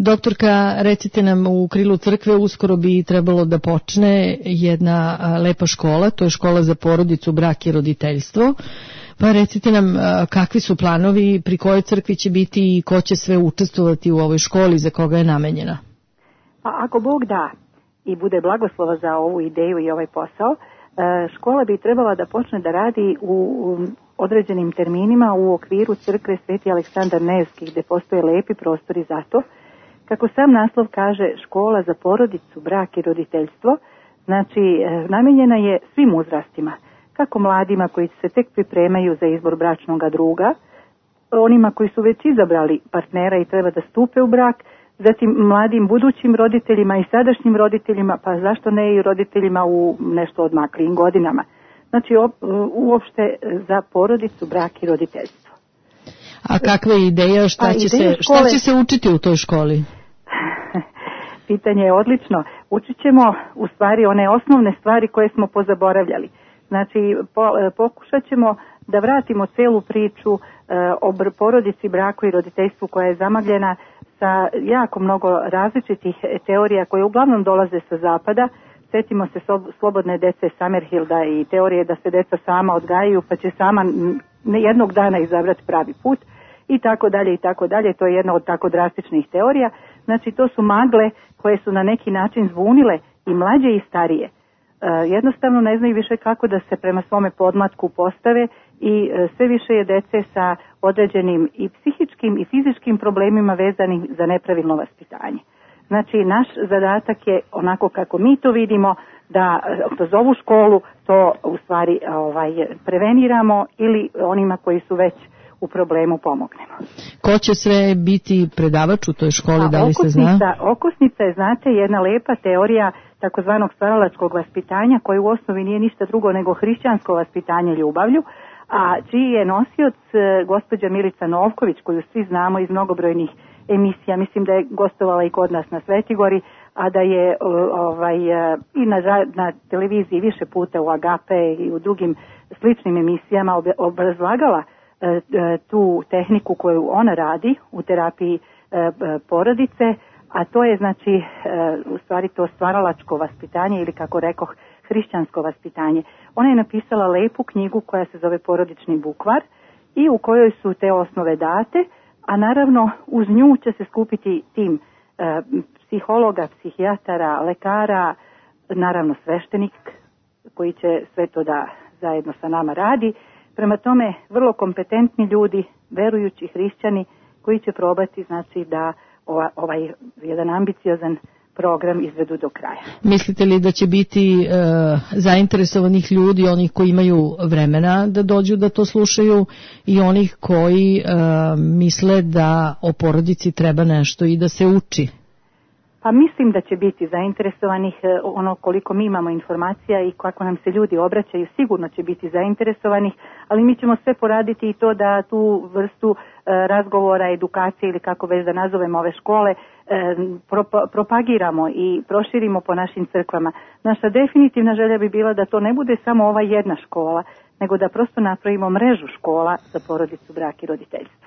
Doktorka, recite nam, u krilu crkve uskoro bi trebalo da počne jedna lepa škola, to je škola za porodicu, brak i roditeljstvo. Pa recite nam kakvi su planovi, pri kojoj crkvi će biti i ko će sve učestvovati u ovoj školi, za koga je namenjena? Pa ako Bog da i bude blagoslova za ovu ideju i ovaj posao, škola bi trebala da počne da radi u određenim terminima u okviru crkve Sveti Aleksandar Nevski, gde postoje lepi prostori za to. Kako sam naslov kaže, škola za porodicu, brak i roditeljstvo, znači namenjena je svim uzrastima, kako mladima koji se tek pripremaju za izbor bračnog druga, onima koji su već izabrali partnera i treba da stupe u brak, zatim mladim budućim roditeljima i sadašnjim roditeljima, pa zašto ne i roditeljima u nešto odmaklijim godinama. Znači uopšte za porodicu, brak i roditeljstvo. A kakva je ideja, šta će se učiti u toj školi? Pitanje je odlično. Učit ćemo u stvari one osnovne stvari koje smo pozaboravljali. Znači pokušat ćemo da vratimo celu priču o porodici, braku i roditeljstvu koja je zamagljena sa jako mnogo različitih teorija koje uglavnom dolaze sa zapada. Sjetimo se slobodne dece Summerhilda i teorije da se deca sama odgajaju pa će sama jednog dana izabrati pravi put i tako dalje i tako dalje. To je jedna od tako drastičnih teorija. Znači to su magle koje su na neki način zbunile i mlađe i starije. Jednostavno ne znaju više kako da se prema svome podmlatku postave i sve više je dece sa određenim i psihičkim i fizičkim problemima vezanim za nepravilno vaspitanje. Znači naš zadatak je onako kako mi to vidimo da kroz ovu školu to u stvari preveniramo ili onima koji su već u problemu pomognemo. Ko će sve biti predavač u toj školi, da li se zna? Okosnica je, znate, jedna lepa teorija takozvanog stvaralačkog vaspitanja koje u osnovi nije ništa drugo nego hrišćansko vaspitanje ljubavlju, a čiji je nosioc gospođa Milica Novković, koju svi znamo iz mnogobrojnih emisija. Mislim da je gostovala i kod nas na Svetigori, a da je i na televiziji više puta u Agape i u drugim sličnim emisijama obrazlagala tu tehniku koju ona radi u terapiji porodice, a to je znači u stvari to stvaralačko vaspitanje ili kako rekoh hrišćansko vaspitanje. Ona je napisala lepu knjigu koja se zove Porodični bukvar i u kojoj su te osnove date, a naravno uz nju će se skupiti tim psihologa, psihijatara, lekara, naravno sveštenik koji će sve to da zajedno sa nama radi. Prema tome, vrlo kompetentni ljudi, verujući hrišćani, koji će probati znači da ovaj jedan ambiciozan program izvedu do kraja. Mislite li da će biti zainteresovanih ljudi, onih koji imaju vremena da dođu da to slušaju i onih koji misle da o porodici treba nešto i da se uči? Pa mislim da će biti zainteresovanih, ono koliko mi imamo informacija i kako nam se ljudi obraćaju, sigurno će biti zainteresovanih, ali mi ćemo sve poraditi i to da tu vrstu razgovora, edukacije ili kako već da nazovemo ove škole, propagiramo i proširimo po našim crkvama. Naša definitivna želja bi bila da to ne bude samo ova jedna škola, nego da prosto napravimo mrežu škola za porodicu, brak i roditeljstvo.